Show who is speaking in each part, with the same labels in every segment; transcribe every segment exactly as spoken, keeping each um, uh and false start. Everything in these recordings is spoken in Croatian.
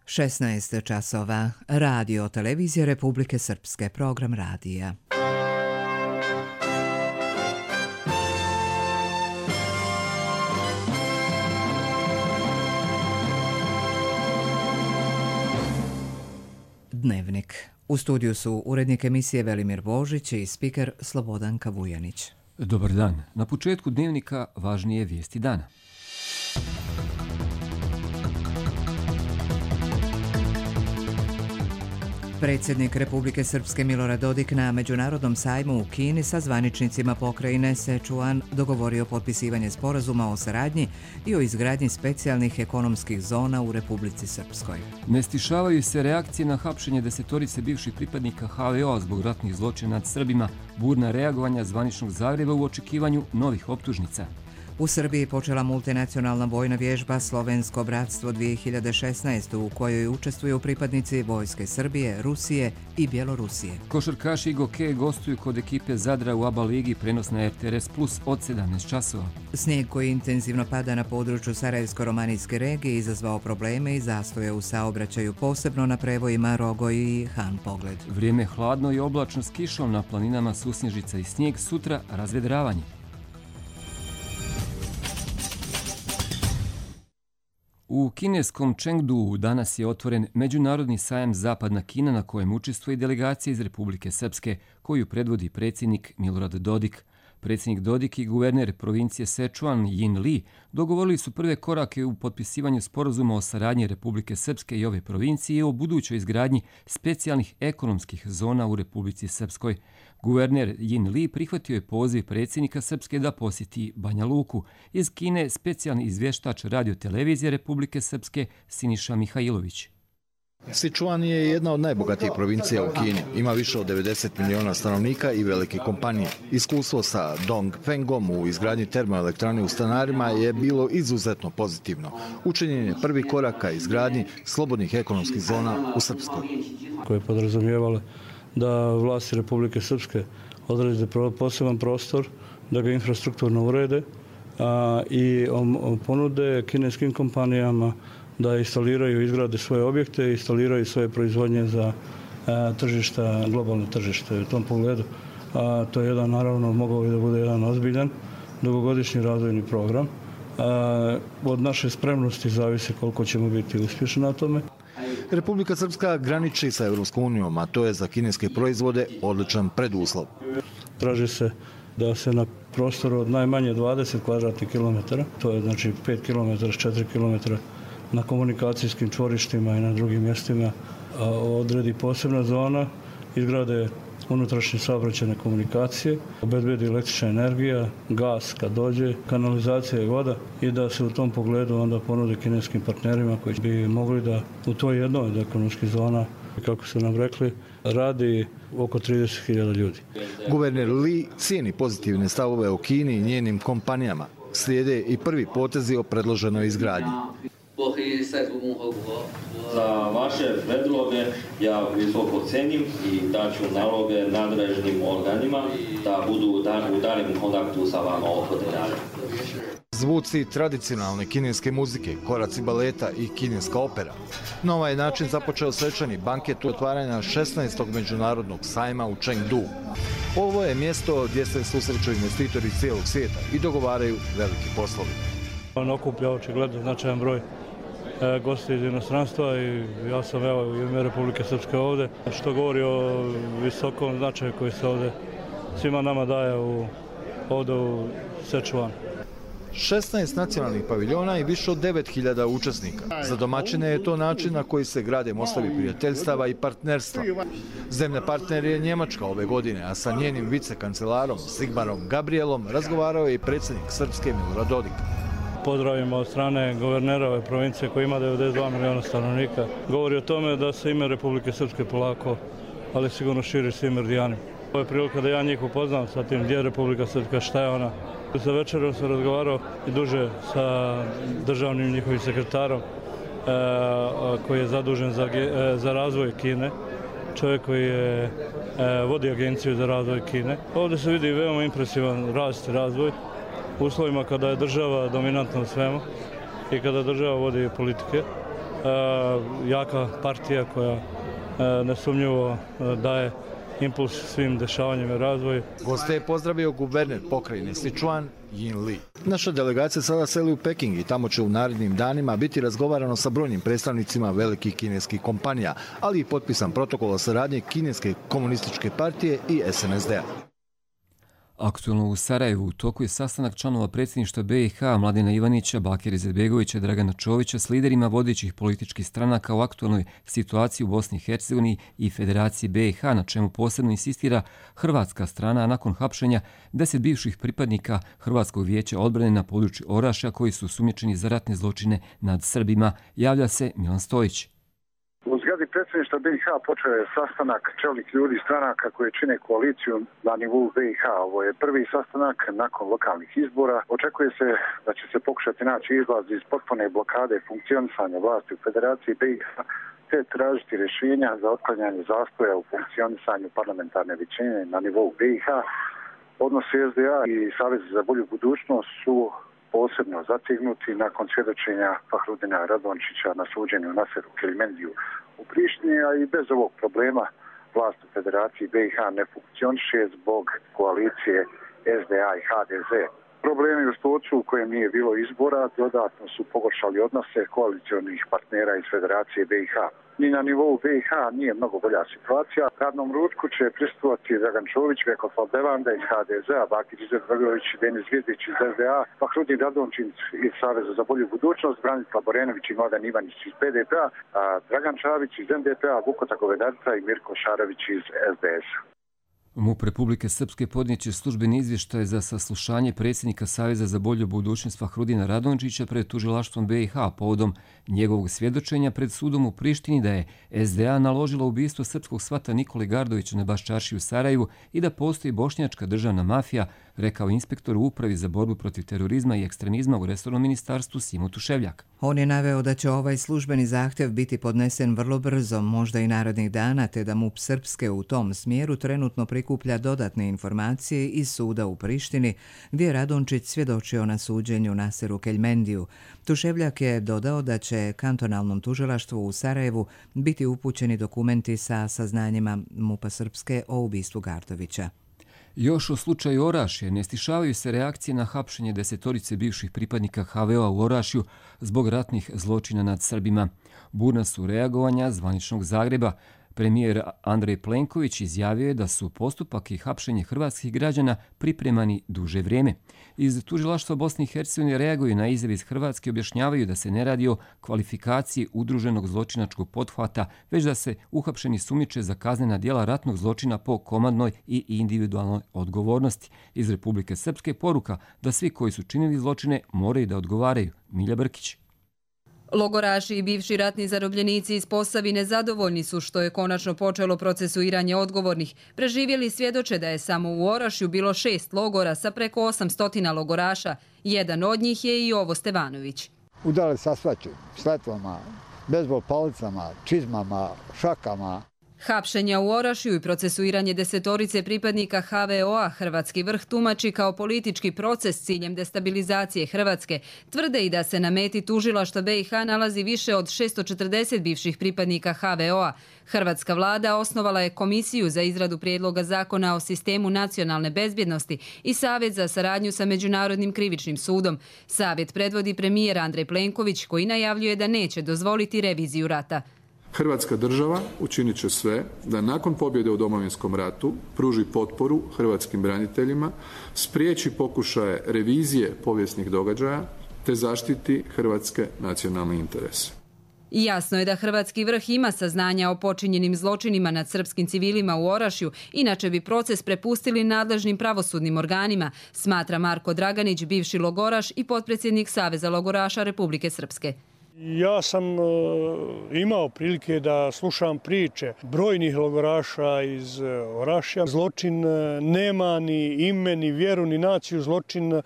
Speaker 1: šesnaest časova. Radio Televizija Republike Srpske, program radija. Dnevnik. U studiju su urednik emisije Velimir Božić i spiker Slobodanka Vujanić.
Speaker 2: Dobar dan. Na početku dnevnika važnije vijesti dana.
Speaker 1: Predsjednik Republike Srpske Milorad Dodik na Međunarodnom sajmu u Kini sa zvaničnicima pokrajine Sečuan dogovorio potpisivanje sporazuma o saradnji i o izgradnji specijalnih ekonomskih zona u Republici Srpskoj.
Speaker 2: Ne stišavaju se reakcije na hapšenje desetorice bivših pripadnika ha ve o zbog ratnih zločina nad Srbima, burna reagovanja zvaničnog Zagreba u očekivanju novih optužnica.
Speaker 1: U Srbiji počela multinacionalna vojna vježba Slovensko bratstvo dvije hiljade šesnaeste. u kojoj učestvuju pripadnici Vojske Srbije, Rusije i Bjelorusije.
Speaker 2: Košarkaši Goke gostuju kod ekipe Zadra u ABA ligi, prenos na er te er es plus od sedamnaest časova.
Speaker 1: Snijeg koji intenzivno pada na području Sarajevsko-romanijske regije izazvao probleme i zastoje u saobraćaju, posebno na prevojima Rogoj i Han Pogled.
Speaker 2: Vrijeme hladno i oblačno s kišom, na planinama susnježica i snijeg, sutra razvedravanje. U kineskom Chengduu danas je otvoren Međunarodni sajam Zapadna Kina na kojem učestvuje delegacija iz Republike Srpske koju predvodi predsjednik Milorad Dodik. Predsjednik Dodik i guverner provincije Sečuan Jin Li dogovorili su prve korake u potpisivanju sporazuma o saradnji Republike Srpske i ove provincije o budućoj izgradnji specijalnih ekonomskih zona u Republici Srpskoj. Guverner Jin Li prihvatio je poziv predsjednika Srpske da posjeti Banja Luku. Iz Kine specijalni izvještač Radio Televizije Republike Srpske Siniša Mihajlović.
Speaker 3: Sičuan je jedna od najbogatijih provincija u Kini. Ima više od devedeset miliona stanovnika i velike kompanije. Iskustvo sa Dongfengom u izgradnji termoelektrane u Stanarima je bilo izuzetno pozitivno. Učinjen je prvi korak ka izgradnji slobodnih ekonomskih zona u Srpskoj.
Speaker 4: Koje podrazumijevale da vlasti Republike Srpske odrede poseban prostor, da ga infrastrukturno urede a, i ponude kineskim kompanijama da instaliraju i izgrade svoje objekte, instaliraju svoje proizvodnje za a, tržišta, globalno tržište. U tom pogledu a, to je jedan, naravno, mogao bi da bude jedan ozbiljan dugogodišnji razvojni program. A, od naše spremnosti zavisi koliko ćemo biti uspješni na tome.
Speaker 3: Republika Srpska graniči sa Evropskom unijom, a to je za kineske proizvode odličan preduslov.
Speaker 4: Traži se da se na prostoru od najmanje dvadeset kvadratnih kilometara, to je znači pet kilometara, četiri kilometra na komunikacijskim čvorištima i na drugim mjestima, odredi posebna zona, izgrade unutrašnje saobraćajne komunikacije, obezbedi električna energija, gas kad dođe, kanalizacija i voda i da se u tom pogledu onda ponude kineskim partnerima koji bi mogli da u toj jednoj od ekonomskih zona, kako su nam rekli, radi oko trideset hiljada ljudi.
Speaker 3: Guverner Li cijeni pozitivne stavove o Kini i njenim kompanijama. Slijede i prvi potezi o predloženoj izgradnji.
Speaker 5: Za vaše predloge ja visoko cenim i daću naloge nadležnim organima da budu u daljem kontaktu sa vama oko detalja.
Speaker 3: Zvuci tradicionalne kineske muzike, koraci baleta i kineska opera. Na ovaj način započeo svečani banket otvaranja šesnaestog međunarodnog sajma u Chengduu. Ovo je mjesto gdje se susreću investitori iz cijelog svijeta i dogovaraju veliki poslovi.
Speaker 4: On okuplja očigledno značajan broj gosti iz inostranstva i ja sam evo u ime Republike Srpske ovdje, što govori o visokom značaju koji se ovdje svima nama daje u, ovdje u Sečuan.
Speaker 3: šesnaest nacionalnih paviljona i više od devet hiljada učesnika. Za domaćine je to način na koji se grade mostovi prijateljstava i partnerstva. Zemlja partner je Njemačka ove godine, a sa njenim vicekancelarom Sigmarom Gabrielom razgovarao je i predsjednik Srpske Milorad Dodik.
Speaker 4: Pozdravimo od strane guvernera ove provincije koji ima devedeset dva miliona stanovnika. Govori o tome da se ime Republike Srpske polako, ali sigurno širi svim meridijanima. Ovo je prilika da ja njih upoznam sa tim gdje je Republika Srpska, šta je ona. Za večerom sam razgovarao i duže sa državnim njihovim sekretarom e, koji je zadužen za, e, za razvoj Kine, čovjek koji je, e, vodi agenciju za razvoj Kine. Ovdje se vidi veoma impresivan rast i razvoj u uslovima kada je država dominantna u svemu i kada država vodi politike. jaka partija koja nesumnjivo daje impuls svim dešavanjima i razvoju.
Speaker 3: Goste je pozdravio guverner pokrajine Sichuan Yin Li. Naša delegacija sada seli u Peking i tamo će u narednim danima biti razgovarano sa brojnim predstavnicima velikih kineskih kompanija, ali i potpisan protokol o saradnji Kineske komunističke partije i S N S D-a.
Speaker 2: Aktualno u Sarajevu u toku je sastanak članova predsjedništva B i H Mladena Ivanića, Bakira Izetbegovića, Dragana Čovića s liderima vodećih političkih stranaka u aktualnoj situaciji u Bosni i Hercegovini i Federaciji B i H, na čemu posebno insistira hrvatska strana nakon hapšenja deset bivših pripadnika Hrvatskog vijeća odbrane na području Orašja koji su osumnjičeni za ratne zločine nad Srbima, javlja se Milan Stojić.
Speaker 6: U zgradi predsjedništva B i H počeo je sastanak čelnih ljudi stranaka koje čine koaliciju na nivou B i H. Ovo je prvi sastanak nakon lokalnih izbora. Očekuje se da će se pokušati naći izlaz iz potpune blokade funkcionisanja vlasti u Federaciji B i H te tražiti rješenja za otklanjanje zastoja u funkcionisanju parlamentarne većine na nivou B i H. Odnosi S D A i Savez za bolju budućnost su posebno zategnuti nakon svjedočenja Fahrudina Radončića na suđenju Naseru Keljmendiju u Prištini, a i bez ovog problema vlast u Federaciji B i H ne funkcioniše zbog koalicije S D A i H D Z. Problemi u Stocu u kojem nije bilo izbora dodatno su pogoršali odnose koalicionih partnera iz Federacije B i H. Ni na nivou B i H nije mnogo bolja situacija. Radnom ručku će prisustvovati Dragan Čović, Vekoslav Devanda iz H D Z-a, Bakir Izetbegović i Denis Zvijezdić iz S D A, Fahrudin Radončić iz Saveza za bolju budućnost, Branislav Borenović i Mladen Ivanić iz P D P-a, Dragan Čavić iz N D P-a, Vukota Govedarica i Mirko Šarović iz S D S-a.
Speaker 2: MUP Republike Srpske podnijeće službeni izvještaj za saslušanje predsjednika Saveza za bolju budućnost Fahrudina Radončića pred tužilaštvom B i H povodom njegovog svjedočenja pred sudom u Prištini da je S D A naložila ubistvo srpskog svata Nikole Gardovića na Baščarši u Sarajevu i da postoji bošnjačka državna mafija, rekao inspektor u Upravi za borbu protiv terorizma i ekstremizma u resornom ministarstvu Simo Tuševljak.
Speaker 1: On je naveo da će ovaj službeni zahtjev biti podnesen vrlo brzo, možda i narednih dana, te da MUP Srpske u tom smjeru trenutno prikuplja dodatne informacije iz suda u Prištini, gdje je Radončić svjedočio na suđenju Naseru Keljmendiju. Tuševljak je dodao da će kantonalnom tužilaštvu u Sarajevu biti upućeni dokumenti sa saznanjima MUP-a Srpske o ubistvu Gardovića.
Speaker 2: Još o slučaju Orašje ne stišavaju se reakcije na hapšenje desetorice bivših pripadnika H V O-a u Orašju zbog ratnih zločina nad Srbima. Burna su reagovanja zvaničnog Zagreba. Premijer Andrej Plenković izjavio je da su postupak i hapšenje hrvatskih građana pripremani duže vrijeme. Iz tužilaštva Bosne i Hercegovine reaguju na izjave iz Hrvatske i objašnjavaju da se ne radi o kvalifikaciji udruženog zločinačkog pothvata, već da se uhapšeni sumnjiče za kaznena djela ratnog zločina po komandnoj i individualnoj odgovornosti. Iz Republike Srpske poruka da svi koji su činili zločine moraju da odgovaraju. Milja Brkić.
Speaker 7: Logoraši i bivši ratni zarobljenici iz Posavine zadovoljni su što je konačno počelo procesuiranje odgovornih. Preživjeli svjedoče da je samo u Orašju bilo šest logora sa preko osamsto logoraša. Jedan od njih je i Jovo Stevanović.
Speaker 8: Udali sa svačim, sletvama, bejzbol palicama, čizmama, šakama.
Speaker 7: Hapšenja u Orašju i procesuiranje desetorice pripadnika H V O-a hrvatski vrh tumači kao politički proces s ciljem destabilizacije Hrvatske. Tvrde i da se na meti tužilaštva B i H nalazi više od šesto četrdeset bivših pripadnika H V O-a. Hrvatska vlada osnovala je komisiju za izradu prijedloga zakona o sistemu nacionalne bezbjednosti i Savjet za saradnju sa Međunarodnim krivičnim sudom. Savjet predvodi premijer Andrej Plenković koji najavljuje da neće dozvoliti reviziju rata.
Speaker 9: Hrvatska država učinit će sve da nakon pobjede u Domovinskom ratu pruži potporu hrvatskim braniteljima, spriječi pokušaje revizije povijesnih događaja te zaštiti hrvatske nacionalne interese.
Speaker 7: I jasno je da hrvatski vrh ima saznanja o počinjenim zločinima nad srpskim civilima u Orašju, inače bi proces prepustili nadležnim pravosudnim organima, smatra Marko Draganić, bivši logoraš i potpredsjednik Saveza logoraša Republike Srpske.
Speaker 4: Ja sam uh, imao prilike da slušam priče brojnih logoraša iz uh, Orašja. Zločin uh, nema ni ime, ni vjeru, ni naciju. Zločin uh,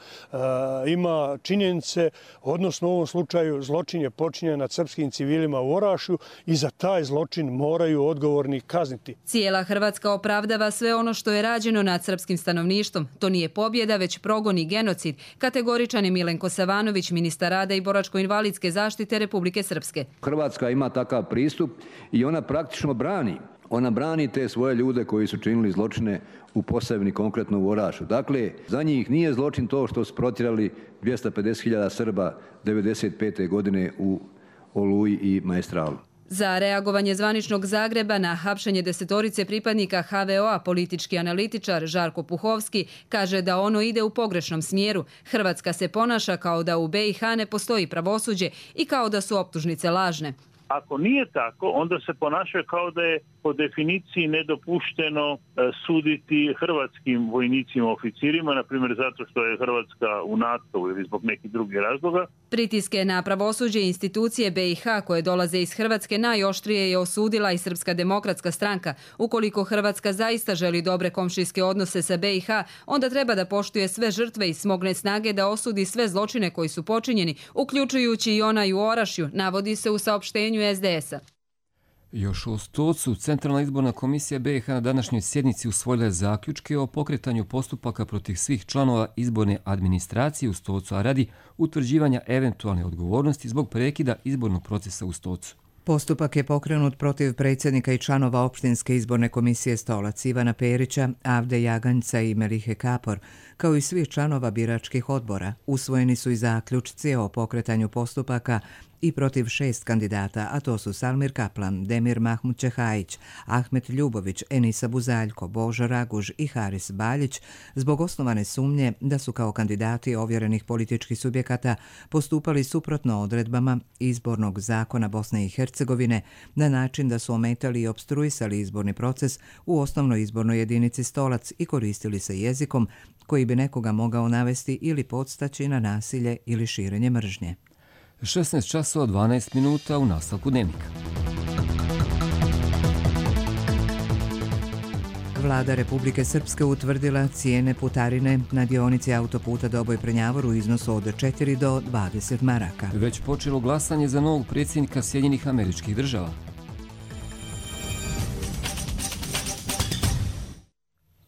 Speaker 4: ima činjenice, odnosno u ovom slučaju zločin je počinjen nad srpskim civilima u Orašju i za taj zločin moraju odgovorni kazniti.
Speaker 7: Cijela Hrvatska opravdava sve ono što je rađeno nad srpskim stanovništvom. To nije pobjeda, već progon i genocid. Kategoričan je Milenko Savanović, ministar rada i boračko-invalidske zaštite Republike Srpske.
Speaker 10: Hrvatska ima takav pristup i ona praktično brani. Ona brani te svoje ljude koji su činili zločine u Posavini, konkretno u Orašju. Dakle, za njih nije zločin to što su protjerali dvjesto pedeset hiljada Srba devedeset pete godine u Oluji i Maestralu.
Speaker 7: Za reagovanje zvaničnog Zagreba na hapšenje desetorice pripadnika ha ve o-a politički analitičar Žarko Puhovski kaže da ono ide u pogrešnom smjeru. Hrvatska se ponaša kao da u be i ha ne postoji pravosuđe i kao da su optužnice lažne.
Speaker 11: Ako nije tako, onda se ponašaju kao da je po definiciji nedopušteno suditi hrvatskim vojnicima, oficirima, na primjer zato što je Hrvatska u NATO ili zbog nekih drugih razloga.
Speaker 7: Pritiske na pravosuđe i institucije be i ha koje dolaze iz Hrvatske najoštrije je osudila i Srpska demokratska stranka. Ukoliko Hrvatska zaista želi dobre komšijske odnose sa be i ha, onda treba da poštuje sve žrtve i smogne snage da osudi sve zločine koji su počinjeni, uključujući i onaj u Orašju, navodi se u saopštenju es de es a.
Speaker 2: Još u Stocu, Centralna izborna komisija be i ha na današnjoj sjednici usvojila je zaključke o pokretanju postupaka protiv svih članova izborne administracije u Stocu, a radi utvrđivanja eventualne odgovornosti zbog prekida izbornog procesa u Stocu.
Speaker 1: Postupak je pokrenut protiv predsjednika i članova opštinske izborne komisije Stolac Ivana Perića, Avde Jaganjca i Melihe Kapor, kao i svih članova biračkih odbora. Usvojeni su i zaključci o pokretanju postupaka i protiv šest kandidata, a to su Salmir Kaplan, Demir Mahmud Čehajić, Ahmet Ljubović, Enisa Buzaljko, Božo Raguž i Haris Baljić, zbog osnovane sumnje da su kao kandidati ovjerenih političkih subjekata postupali suprotno odredbama izbornog zakona Bosne i Hercegovine na način da su ometali i opstruisali izborni proces u osnovnoj izbornoj jedinici Stolac i koristili se jezikom koji bi nekoga mogao navesti ili podstaći na nasilje ili širenje mržnje.
Speaker 2: šesnaest časova dvanaest minuta u nastavku dnevnika.
Speaker 1: Vlada Republike Srpske utvrdila cijene putarine na dionici autoputa Doboj-Prnjavor u iznosu od četiri do dvadeset maraka.
Speaker 2: Već počelo glasanje za novog predsjednika Sjedinjenih Američkih Država.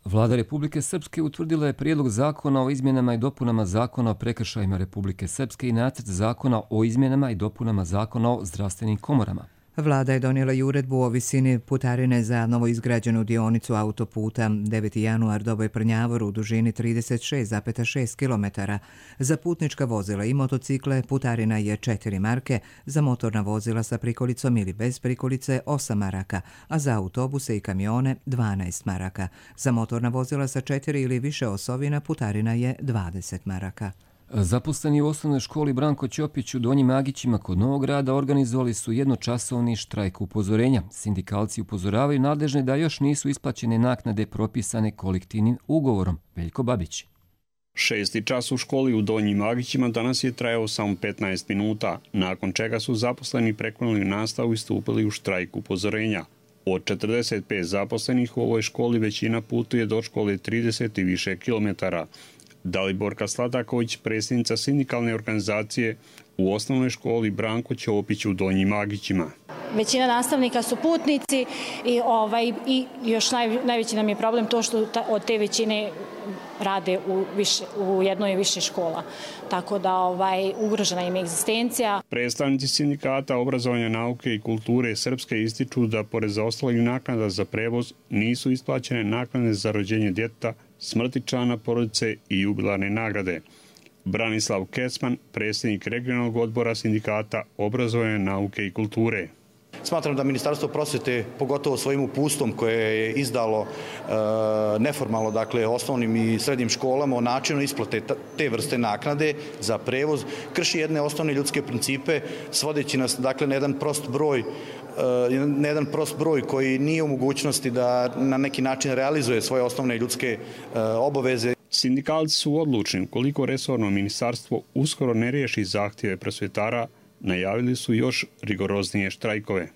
Speaker 2: Vlada Republike Srpske utvrdila je prijedlog zakona o izmjenama i dopunama zakona o prekršajima Republike Srpske i nacrt zakona o izmjenama i dopunama zakona o zdravstvenim komorama.
Speaker 1: Vlada je donijela i uredbu o visini putarine za novoizgrađenu dionicu autoputa deveti januar Doboj-Prnjavor u dužini trideset šest zarez šest kilometara. Za putnička vozila i motocikle putarina je četiri marke, za motorna vozila sa prikolicom ili bez prikolice osam maraka, a za autobuse i kamione dvanaest maraka. Za motorna vozila sa četiri ili više osovina putarina je dvadeset maraka.
Speaker 2: Zaposleni u osnovnoj školi Branko Ćopić u Donjim Agićima kod Novog Grada organizovali su jednočasovni štrajk upozorenja. Sindikalci upozoravaju nadležne da još nisu isplaćene naknade propisane kolektivnim ugovorom. Veljko Babić.
Speaker 12: Šesti čas u školi u Donjim Agićima danas je trajao samo petnaest minuta, nakon čega su zaposleni prekinuli nastavu i stupili u štrajk upozorenja. Od četrdeset pet zaposlenih u ovoj školi većina putuje do škole trideset i više kilometara. Daliborka Sladaković, predsjednica sindikalne organizacije u osnovnoj školi Branko Ćopić u Donjim Agićima.
Speaker 13: Većina nastavnika su putnici i, ovaj, i još naj, najveći nam je problem to što ta, od te većine rade u, više, u jednoj i više škola. Tako da ovaj, ugrožena im je egzistencija.
Speaker 12: Predstavnici sindikata obrazovanja, nauke i kulture Srpske ističu da pored zaostalih naknada za prevoz nisu isplaćene naknade za rođenje djeteta, smrti člana porodice i jubilarne nagrade. Branislav Kecman, predsjednik regionalnog odbora sindikata obrazovanja, nauke i kulture.
Speaker 14: Smatram da Ministarstvo prosvjete, pogotovo svojim uputstvom koje je izdalo e, neformalno, dakle, osnovnim i srednjim školama o načinu isplate te vrste naknade za prevoz, krši jedne osnovne ljudske principe, svodeći nas, dakle, na jedan prost broj na jedan prost broj koji nije u mogućnosti da na neki način realizuje svoje osnovne ljudske obaveze.
Speaker 12: Sindikalci su odlučni, ukoliko resorno ministarstvo uskoro ne riješi zahtjeve prosvjetara, najavili su još rigoroznije štrajkove.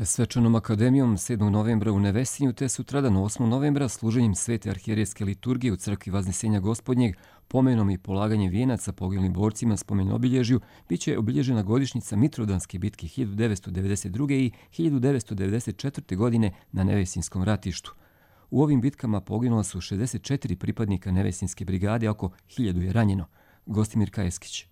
Speaker 2: Svečanom akademijom sedmog novembra u Nevesinju te sutradan osmog novembra služenjem svete arhijerejske liturgije u crkvi Vaznesenja Gospodnjeg, pomenom i polaganjem vijenaca poginulim borcima spomen obilježju, bit će obilježena godišnjica Mitrovdanske bitke hiljadu devetsto devedeset druge. i hiljadu devetsto devedeset četvrte. godine na Nevesinskom ratištu. U ovim bitkama poginula su šezdeset četiri pripadnika Nevesinske brigade, oko hiljadu je ranjeno. Gostimir Kajeskić.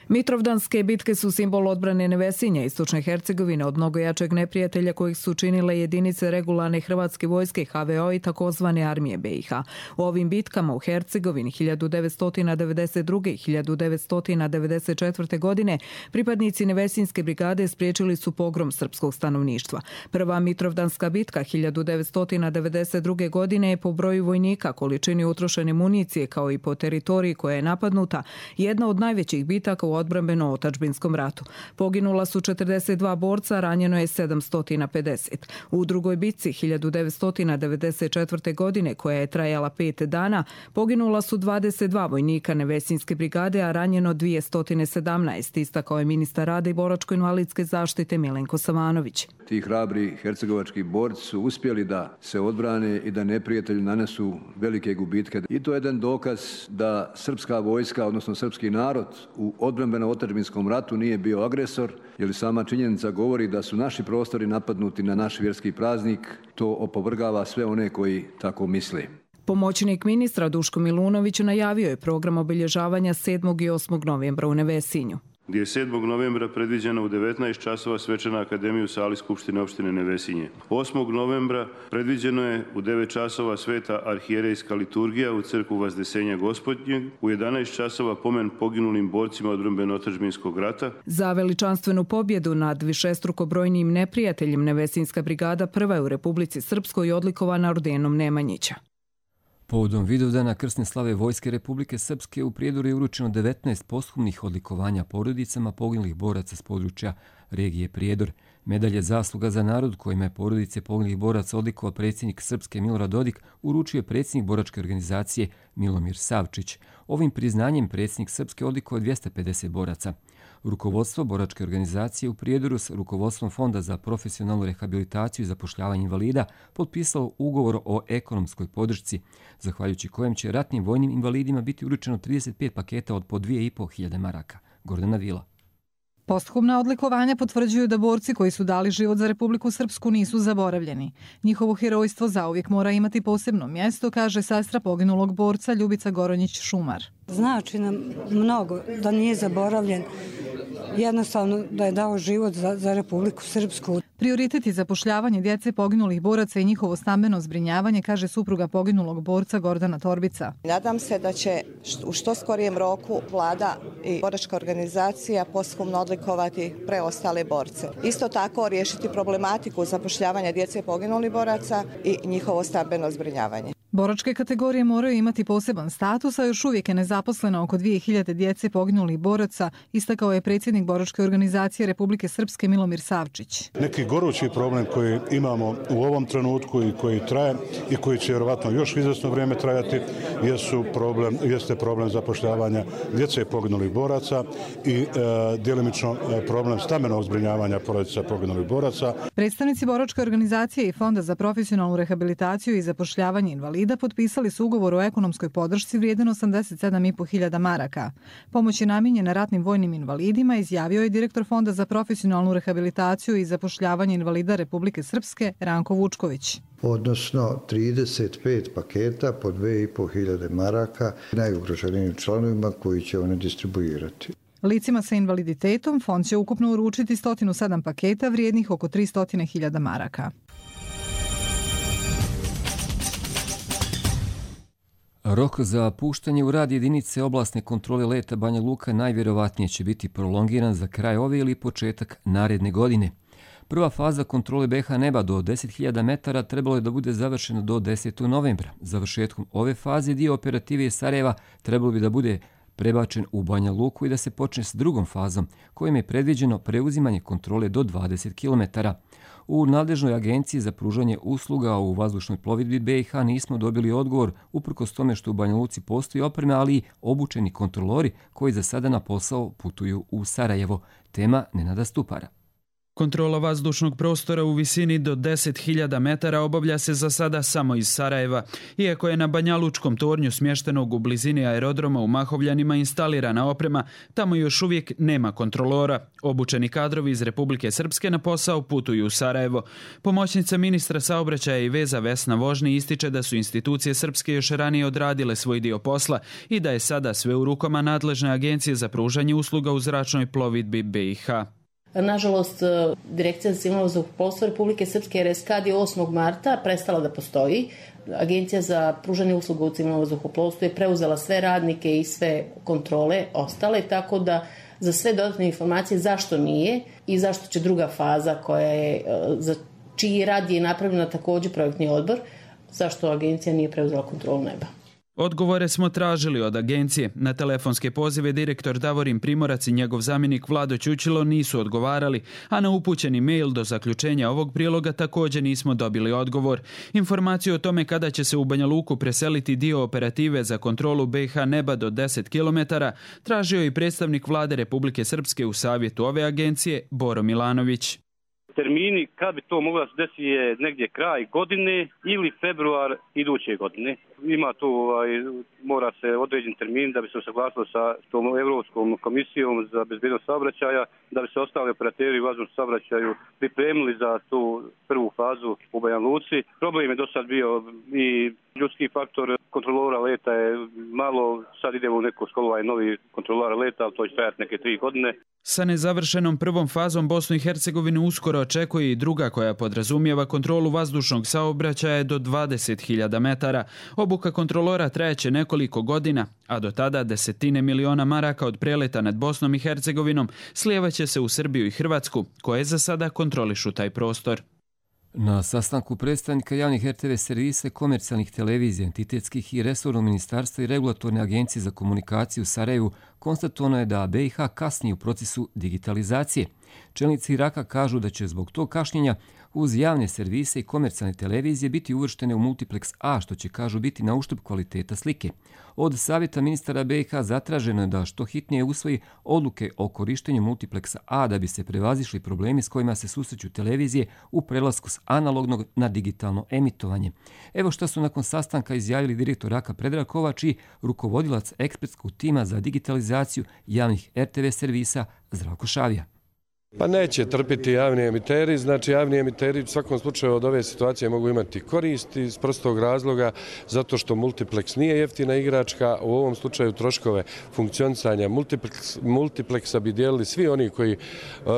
Speaker 15: Mitrovdanske bitke su simbol odbrane Nevesinja, istočne Hercegovine, od mnogo jačeg neprijatelja kojih su činile jedinice regularne hrvatske vojske H V O i takozvane armije B i H. U ovim bitkama u Hercegovini hiljadu devetsto devedeset druge. i hiljadu devetsto devedeset četvrte. godine pripadnici Nevesinjske brigade spriječili su pogrom srpskog stanovništva. Prva Mitrovdanska bitka hiljadu devetsto devedeset druge. godine je po broju vojnika, količini utrošene municije kao i po teritoriji koja je napadnuta, jedna od najvećih bitaka u odbrambeno-otačbinskom ratu. Poginula su četrdeset dva borca, ranjeno je sedamsto pedeset. U drugoj bitci hiljadu devetsto devedeset četvrte. godine, koja je trajala pet dana, poginula su dvadeset dva vojnika Nevesinjske brigade, a ranjeno dvjesto sedamnaest, istakao je ministar rada i boračko-invalidske zaštite Milenko Savanović.
Speaker 10: Ti hrabri hercegovački borci su uspjeli da se odbrane i da neprijatelju nanesu velike gubitke. I to je jedan dokaz da srpska vojska, odnosno srpski narod u odbrambeno-otačbinskom ratu nije bio agresor, jer sama činjenica govori da su naši prostori napadnuti na naš vjerski praznik. To opovrgava sve one koji tako misle.
Speaker 15: Pomoćnik ministra Duško Milunović najavio je program obilježavanja sedmog i osmog novembra u Nevesinju,
Speaker 16: gdje je sedmog novembra predviđena u devetnaest časova svečana akademija u sali Skupštine opštine Nevesinje. osmog novembra predviđeno je u devet časova sveta arhijerejska liturgija u crkvu Vazdesenja Gospodnjeg, u jedanaest časova pomen poginulim borcima odbrambeno-otačbinskog rata.
Speaker 15: Za veličanstvenu pobjedu nad višestruko brojnim neprijateljem Nevesinjska brigada prva je u Republici Srpskoj odlikovana ordenom Nemanjića.
Speaker 2: Povodom Vidovdana krsne slave Vojske Republike Srpske u Prijedoru je uručeno devetnaest posthumnih odlikovanja porodicama poginulih boraca s područja regije Prijedor. Medalje zasluga za narod kojima je porodice poginulih boraca odlikovao predsjednik Srpske Milorad Dodik uručio je predsjednik boračke organizacije Milomir Savčić. Ovim priznanjem predsjednik Srpske odlikovao dvjesto pedeset boraca. Rukovodstvo boračke organizacije u Prijedoru s rukovodstvom Fonda za profesionalnu rehabilitaciju i zapošljavanje invalida potpisalo ugovor o ekonomskoj podršci, zahvaljujući kojem će ratnim vojnim invalidima biti uručeno trideset pet paketa od po dvije i po hiljade maraka. Gordana Vila.
Speaker 17: Posthumna odlikovanja potvrđuju da borci koji su dali život za Republiku Srpsku nisu zaboravljeni. Njihovo herojstvo zauvijek mora imati posebno mjesto, kaže sestra poginulog borca Ljubica Goronjić-Šumar.
Speaker 18: Znači nam mnogo da nije zaboravljen, jednostavno da je dao život za, za Republiku Srpsku.
Speaker 17: Prioritet je zapošljavanje djece poginulih boraca i njihovo stambeno zbrinjavanje, kaže supruga poginulog borca Gordana Torbica.
Speaker 19: Nadam se da će u što skorijem roku vlada i boračka organizacija posthumno odlikovati preostale borce. Isto tako riješiti problematiku zapošljavanja djece poginulih boraca i njihovo stambeno zbrinjavanje.
Speaker 17: Boračke kategorije moraju imati poseban status, a još uvijek je nezaposleno oko dvije hiljade djece poginulih boraca, istakao je predsjednik boračke organizacije Republike Srpske Milomir Savčić.
Speaker 20: Neki gorući problem koji imamo u ovom trenutku i koji traje i koji će vjerovatno još izvjesno vrijeme trajati jesu problem, jeste problem zapošljavanja djece poginulih boraca i e, djelimično problem stambenog zbrinjavanja porodica poginulih boraca.
Speaker 17: Predstavnici boračke organizacije i Fonda za profesionalnu rehabilitaciju i zapošljavanje invalida da potpisali su ugovor o ekonomskoj podršci vrijedan osamdeset sedam i po hiljada maraka. Pomoć je namijenjena ratnim vojnim invalidima, izjavio je direktor Fonda za profesionalnu rehabilitaciju i zapošljavanje invalida Republike Srpske Ranko Vučković.
Speaker 21: Odnosno trideset pet paketa po dvije i po hiljade maraka najugroženijim članovima koji će one distribuirati.
Speaker 17: Licima sa invaliditetom fond će ukupno uručiti sto sedam paketa vrijednih oko tristo hiljada maraka.
Speaker 2: Rok za puštanje u rad jedinice oblasne kontrole leta Banja Luka najvjerovatnije će biti prolongiran za kraj ove ili početak naredne godine. Prva faza kontrole B H neba do deset hiljada metara trebalo je da bude završena do desetog novembra. Završetkom ove faze dio operative iz Sarajeva trebalo bi da bude prebačen u Banja Luku i da se počne s drugom fazom, kojim je predviđeno preuzimanje kontrole do dvadeset kilometara. U nadležnoj agenciji za pružanje usluga u vazdušnoj plovidbi B i H nismo dobili odgovor, uprkos tome što u Banja Luci postoji opreme, ali i obučeni kontrolori koji za sada na posao putuju u Sarajevo. Tema Nenada Stupara.
Speaker 5: Kontrola vazdušnog prostora u visini do deset hiljada metara obavlja se za sada samo iz Sarajeva. Iako je na Banjalučkom tornju smještenog u blizini aerodroma u Mahovljanima instalirana oprema, tamo još uvijek nema kontrolora. Obučeni kadrovi iz Republike Srpske na posao putuju u Sarajevo. Pomoćnica ministra saobraćaja i veza Vesna Vožni ističe da su institucije srpske još ranije odradile svoj dio posla i da je sada sve u rukama nadležne agencije za pružanje usluga u zračnoj plovidbi B i H.
Speaker 22: Nažalost, Direkcija za civilno vazduhoplovstvo Republike Srpske R S K A D je osmog marta prestala da postoji. Agencija za pružanje usluga u civilnom vazduhoplovstvu je preuzela sve radnike i sve kontrole ostale, tako da za sve dodatne informacije zašto nije i zašto će druga faza koja je, za čiji rad je napravljena također projektni odbor, zašto agencija nije preuzela kontrolu neba.
Speaker 5: Odgovore smo tražili od agencije. Na telefonske pozive direktor Davorin Primorac i njegov zamjenik Vlado Ćućilo nisu odgovarali, a na upućeni mail do zaključenja ovog priloga također nismo dobili odgovor. Informaciju o tome kada će se u Banja Luku preseliti dio operative za kontrolu B i H neba do deset kilometara tražio i predstavnik Vlade Republike Srpske u savjetu ove agencije Boro Milanović.
Speaker 23: Termini kad bi to moglo da se desi je negdje kraj godine ili februar iduće godine. Ima tu, ovaj, mora se određen termin da bi se usaglasilo sa tom Europskom komisijom za bezbednost saobraćaja, da bi se ostali operateri u vazdušnom saobraćaju pripremili za tu prvu fazu u Banja Luci. Problem je do sad bio i ljudski faktor kontrolora leta je malo, sad idemo u neko školovanje novi kontrolora leta, ali to će trajati neke tri godine.
Speaker 5: Sa nezavršenom prvom fazom Bosnu i Hercegovinu uskoro očekuje i druga koja podrazumijeva kontrolu vazdušnog saobraćaja do dvadeset hiljada metara. Obuka kontrolora trajeće nekoliko godina, a do tada desetine miliona maraka od preleta nad Bosnom i Hercegovinom slijevaće se u Srbiju i Hrvatsku, koje za sada kontrolišu taj prostor.
Speaker 2: Na sastanku predstavnika javnih R T V servisa, komercijalnih televizija, entitetskih i resornog ministarstva i regulatorne agencije za komunikaciju u Sarajevu konstatovano je da B i H kasni u procesu digitalizacije. Čelnici Iraka kažu da će zbog tog kašnjenja uz javne servise i komercijalne televizije biti uvrštene u multiplex A, što će, kažu, biti na uštrb kvaliteta slike. Od savjeta ministara B i H zatraženo je da što hitnije usvoji odluke o korištenju multiplexa A da bi se prevazišli problemi s kojima se susreću televizije u prelasku s analognog na digitalno emitovanje. Evo što su nakon sastanka izjavili direktor Raka Predrag Kovač i rukovodilac ekspertskog tima za digitalizaciju javnih R T V servisa Zdravko Šavija.
Speaker 24: Pa neće trpiti javni emiteri, znači javni emiteri u svakom slučaju od ove situacije mogu imati koristi iz prostog razloga zato što multiplex nije jeftina igračka, u ovom slučaju troškove funkcionisanja multiplex, multipleksa bi dijelili svi oni koji uh,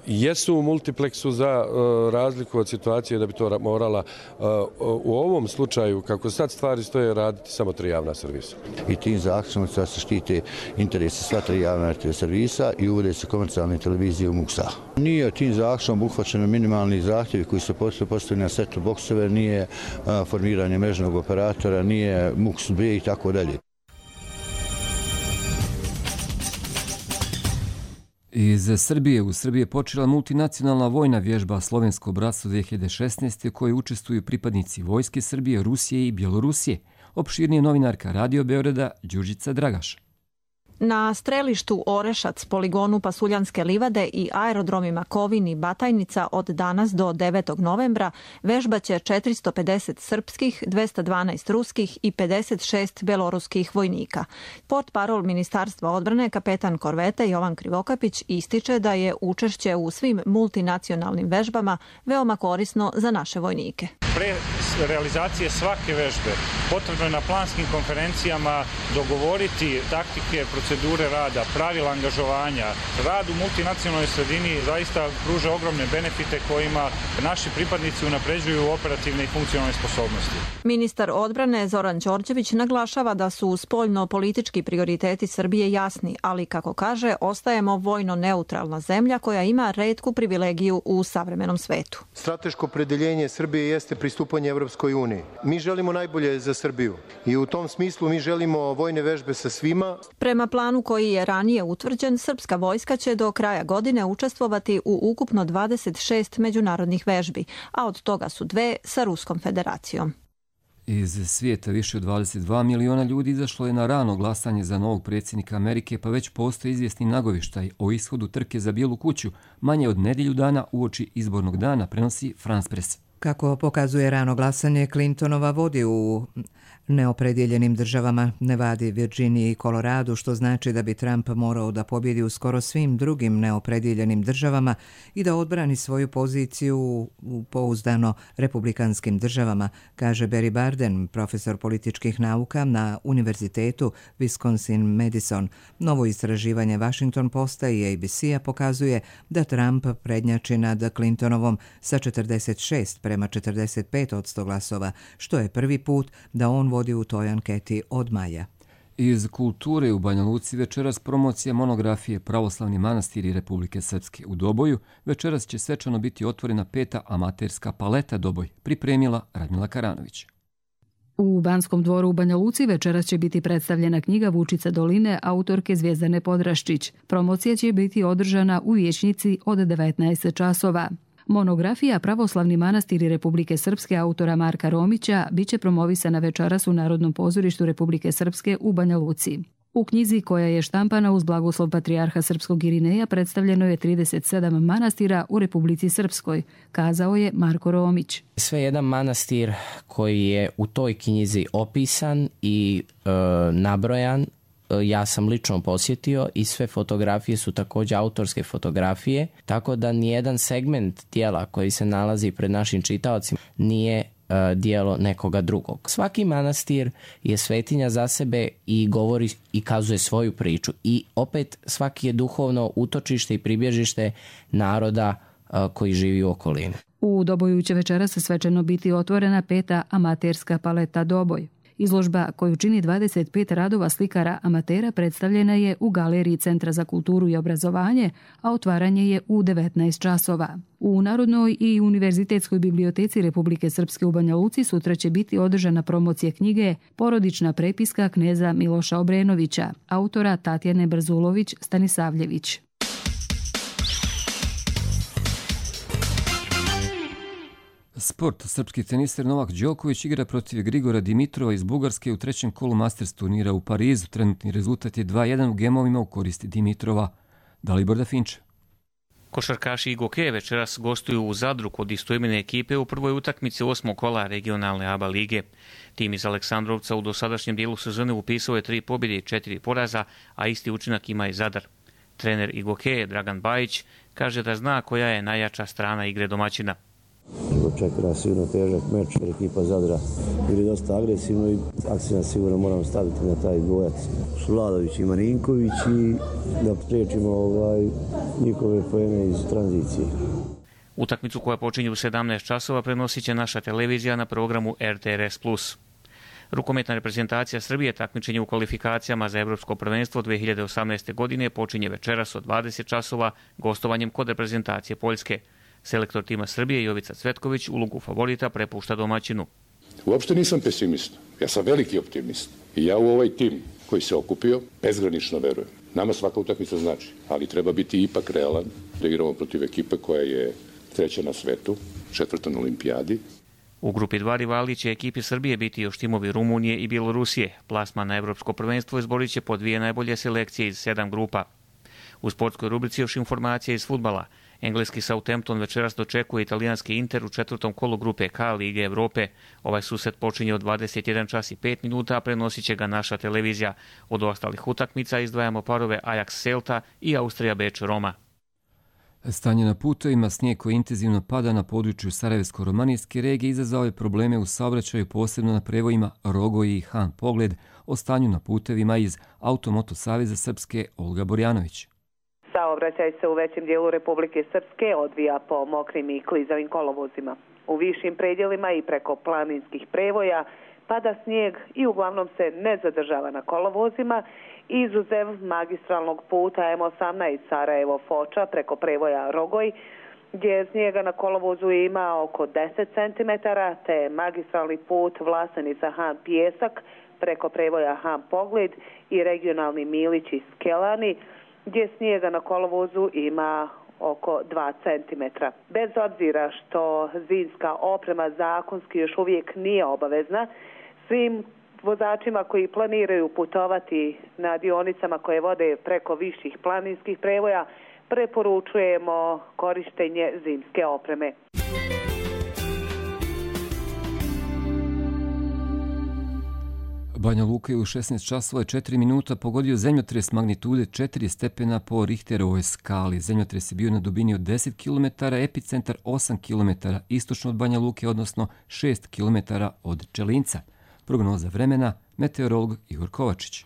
Speaker 24: jesu u multipleksu za uh, razliku od situacije da bi to morala uh, u ovom slučaju, kako sad stvari stoje, raditi samo tri javna servisa.
Speaker 25: I tim zakonom se štite interese sva tri javna servisa i uvode se komercijalne televizije u Muksa. Nije tim zakonom uhvaćeno minimalni zahtjevi koji su postavljeni na setu boksove, nije uh, formiranje mrežnog operatora, nije Muks B i tako dalje.
Speaker 2: Iz Srbije u Srbiji je počela multinacionalna vojna vježba Slovensko bratstvo dvije hiljade šesnaeste. u kojoj učestvuju pripadnici Vojske Srbije, Rusije i Bjelorusije. Opširnije novinarka Radio Beograda Đurđica Dragaš.
Speaker 26: Na strelištu Orešac, poligonu Pasuljanske livade i aerodromima Kovin i Batajnica od danas do devetog novembra vežbaće četiristo pedeset srpskih, dvesta dvanaest ruskih i pedeset šest beloruskih vojnika. Portparol Ministarstva odbrane, kapetan korvete Jovan Krivokapić, ističe da je učešće u svim multinacionalnim vežbama veoma korisno za naše vojnike.
Speaker 27: Pre realizacije svake vežbe potrebno je na planskim konferencijama dogovoriti taktike, procedure rada, pravila angažovanja. Rad u multinacionalnoj sredini zaista pruža ogromne benefite kojima naši pripadnici unapređuju operativne i funkcionalne sposobnosti.
Speaker 26: Ministar odbrane Zoran Đorđević naglašava da su spoljno-politički prioriteti Srbije jasni, ali kako kaže, ostajemo vojno neutralna zemlja koja ima retku privilegiju u savremenom svetu.
Speaker 28: Strateško opredeljenje Srbije jeste pristupanje Evropskoj uniji. Mi želimo najbolje za Srbiju i u tom smislu mi želimo vojne vežbe sa svima.
Speaker 26: Prema planu koji je ranije utvrđen, srpska vojska će do kraja godine učestvovati u ukupno dvadeset šest međunarodnih vežbi, a od toga su dve sa Ruskom federacijom.
Speaker 2: Iz svijeta više od dvadeset dva miliona ljudi izašlo je na rano glasanje za novog predsjednika Amerike, pa već postoji izvjesni nagovještaj o ishodu trke za Bijelu kuću manje od nedjelju dana uoči izbornog dana, prenosi France Press.
Speaker 1: Kako pokazuje rano glasanje, Clintonova vodi u neopredjeljenim državama Nevadi, Virginiji i Koloradu, što znači da bi Trump morao da pobjedi u skoro svim drugim neopredjeljenim državama i da odbrani svoju poziciju u pouzdano republikanskim državama, kaže Barry Barden, profesor političkih nauka na Univerzitetu Wisconsin-Madison. Novo istraživanje Washington Posta i A B C-a pokazuje da Trump prednjači nad Clintonovom sa četrdeset šest prema četrdeset pet odsto glasova, što je prvi put da on vodi u toj anketi od maja.
Speaker 2: Iz kulture u Banja Luci večeras promocija monografije Pravoslavni manastiri Republike Srpske u Doboju. Večeras će svečano biti otvorena peta amaterska paleta Doboj, pripremila Radmila Karanović.
Speaker 3: U Banskom dvoru u Banja Luci večeras će biti predstavljena knjiga Vučica doline autorke Zvijezdane Podraščić. Promocija će biti održana u vijećnici od devetnaest časova. Monografija Pravoslavni manastiri Republike Srpske autora Marka Romića biće promovisana večeras u Narodnom pozorištu Republike Srpske u Banja Luci. U knjizi koja je štampana uz blagoslov patrijarha srpskog Irineja predstavljeno je trideset sedam manastira u Republici Srpskoj, kazao je Marko Romić.
Speaker 4: Sve jedan manastir koji je u toj knjizi opisan i e, nabrojan, ja sam lično posjetio i sve fotografije su također autorske fotografije, tako da nijedan segment tijela koji se nalazi pred našim čitaocima nije uh, dijelo nekoga drugog. Svaki manastir je svetinja za sebe i govori i kazuje svoju priču i opet svaki je duhovno utočište i pribježište naroda uh, koji živi u okolini.
Speaker 3: U Doboju će večeras svečano biti otvorena peta amaterska paleta Doboj. Izložba koju čini dvadeset pet radova slikara amatera predstavljena je u Galeriji Centra za kulturu i obrazovanje, a otvaranje je u devetnaest časova. U Narodnoj i Univerzitetskoj biblioteci Republike Srpske u Banja Luci sutra će biti održana promocija knjige Porodična prepiska kneza Miloša Obrenovića, autora Tatjane Brzulović-Stanisavljević.
Speaker 2: Sport. Srpski teniser Novak Đoković igra protiv Grigora Dimitrova iz Bugarske u trećem kolu Masters turnira u Parizu. Trenutni rezultat je dva jedan u gemovima u korist Dimitrova. Dalibor da Finče.
Speaker 6: Košarkaši i Goke večeras gostuju u Zadru kod istoimene ekipe u prvoj utakmici osmog kola regionalne A B A lige. Tim iz Aleksandrovca u dosadašnjem dijelu sezone upisao je tri pobjede i četiri poraza, a isti učinak ima i Zadar. Trener i Goke Dragan Bajić kaže da zna koja je najjača strana igre domaćina.
Speaker 7: Očekuje nas sigurno težak meč, jer ekipa Zadra bili dosta agresivno i akcijno sigurno moramo staviti na taj dvojac. Vladović i Marinković i da priječimo ovaj, njihove poene iz tranzicije.
Speaker 6: Utakmicu koja počinje u sedamnaest časova prenosit će naša televizija na programu R T R S plus. Rukometna reprezentacija Srbije takmičenje u kvalifikacijama za Evropsko prvenstvo dve hiljade osamnaeste. godine počinje večeras od dvadeset časova gostovanjem kod reprezentacije Poljske. Selektor tima Srbije Jovica Cvetković ulogu favorita prepušta domaćinu.
Speaker 8: Uopšte nisam pesimist, ja sam veliki optimist. I ja u ovaj tim koji se okupio bezgranično verujem. Nama svaka utakmica znači, ali treba biti ipak realan da igramo protiv ekipe koja je treća na svetu, četvrta na olimpijadi.
Speaker 6: U grupi dva rivali će ekipi Srbije biti još timovi Rumunije i Bjelorusije. Plasman na Evropsko prvenstvo izborit će po dvije najbolje selekcije iz sedam grupa. U sportskoj rubrici još informacije iz fudbala. Engleski Southampton večeras dočekuje italijanski Inter u četvrtom kolu grupe K Lige Evrope. Ovaj susret počinje od dvadeset jedan čas i pet minuta, a prenosit će ga naša televizija. Od ostalih utakmica izdvajamo parove Ajax Celta i Austrija Beč Roma.
Speaker 2: Stanje na putovima, snijeg koji intenzivno pada na području Sarajevsko-romanijske regije izazvao je probleme u saobraćaju, posebno na prevojima Rogoj i Han Pogled. O stanju na putevima iz Automoto Saveza Srpske Olga Borjanović.
Speaker 9: Saobraćaj se u većem dijelu Republike Srpske odvija po mokrim i klizavim kolovozima. U višim predjelima i preko planinskih prevoja pada snijeg i uglavnom se ne zadržava na kolovozima, izuzev magistralnog puta M osamnaest Sarajevo-Foča preko prevoja Rogoj, gdje snijega na kolovozu ima oko deset centimetara, te magistralni put Vlasenica-Han Pijesak preko prevoja Han Pogled i regionalni Milić i Skelani, gdje snijega na kolovozu ima oko dva centimetra. Bez obzira što zimska oprema zakonski još uvijek nije obavezna, svim vozačima koji planiraju putovati na dionicama koje vode preko viših planinskih prevoja preporučujemo korištenje zimske opreme.
Speaker 2: Banja Luka je u šesnaest časova i četiri minuta pogodio zemljotres magnitude četiri stepena po Richterovoj skali. Zemljotres je bio na dubini od deset kilometara, epicentar osam kilometara istočno od Banja Luke, odnosno šest kilometara od Čelinca. Prognoza vremena, meteorolog Igor Kovačić.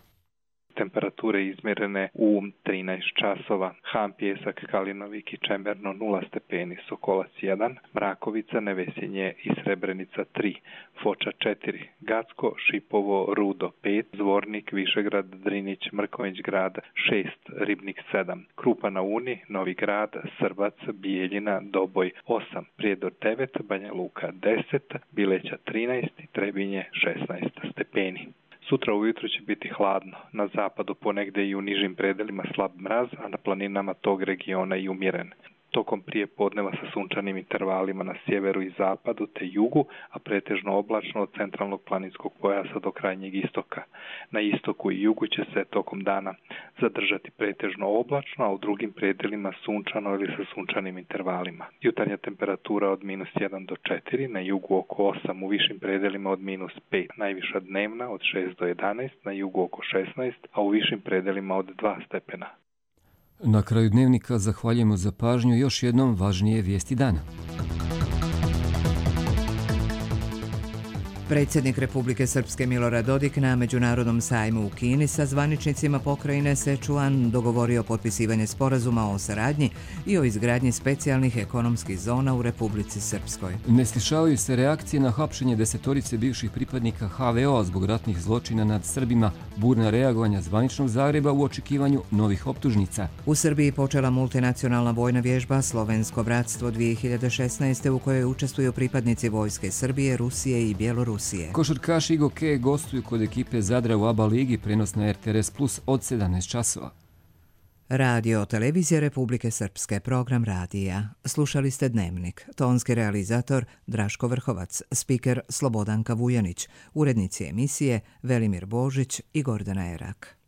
Speaker 10: Temperature izmjerene u trinaest časova. Han, Pjesak, Kalinovik i Čemberno nula stepeni, Sokolac jedan, Mrakovica, Nevesinje i Srebrenica tri, Foča četiri, Gacko, Šipovo, Rudo pet, Zvornik, Višegrad, Drinić, Mrković grad šest, Ribnik sedam, Krupa na Uni, Novi grad, Srbac, Bijeljina, Doboj osam, Prijedor devet, Banja Luka deset, Bileća trinaest i Trebinje šesnaest stepeni. Sutra ujutro će biti hladno, na zapadu ponegdje i u nižim predelima slab mraz, a na planinama tog regiona i umjeren. Tokom prije podneva sa sunčanim intervalima na sjeveru i zapadu te jugu, a pretežno oblačno od centralnog planinskog pojasa do krajnjeg istoka. Na istoku i jugu će se tokom dana zadržati pretežno oblačno, a u drugim predelima sunčano ili sa sunčanim intervalima. Jutarnja temperatura od minus jedan do četiri, na jugu oko osam, u višim predelima od minus pet, najviša dnevna od šest do jedanaest, na jugu oko šesnaest, a u višim predelima od dva stepena.
Speaker 2: Na kraju dnevnika zahvaljujemo za pažnju, još jednom važnije vijesti dana.
Speaker 1: Predsjednik Republike Srpske Milorad Dodik na Međunarodnom sajmu u Kini sa zvaničnicima pokrajine Sečuan dogovorio potpisivanje sporazuma o saradnji i o izgradnji specijalnih ekonomskih zona u Republici Srpskoj.
Speaker 2: Ne slišavaju se reakcije na hapšenje desetorice bivših pripadnika ha ve o zbog ratnih zločina nad Srbima, burna reagovanja zvaničnog Zagreba u očekivanju novih optužnica.
Speaker 1: U Srbiji počela multinacionalna vojna vježba Slovensko bratstvo dvije hiljade šesnaeste u kojoj učestvuju pripadnici vojske Srbije, Rusije i Bjelorusije.
Speaker 2: Košarkaši Igoke gostuju kod ekipe Zadra u ABA ligi, prenos na er te er es plus od sedamnaest časova.
Speaker 1: Radio Televizija Republike Srpske, program radija. Slušali ste Dnevnik. Tonski realizator Draško Vrhovac, spiker Slobodanka Vujanić, urednici emisije Velimir Božić i Gordana Erak.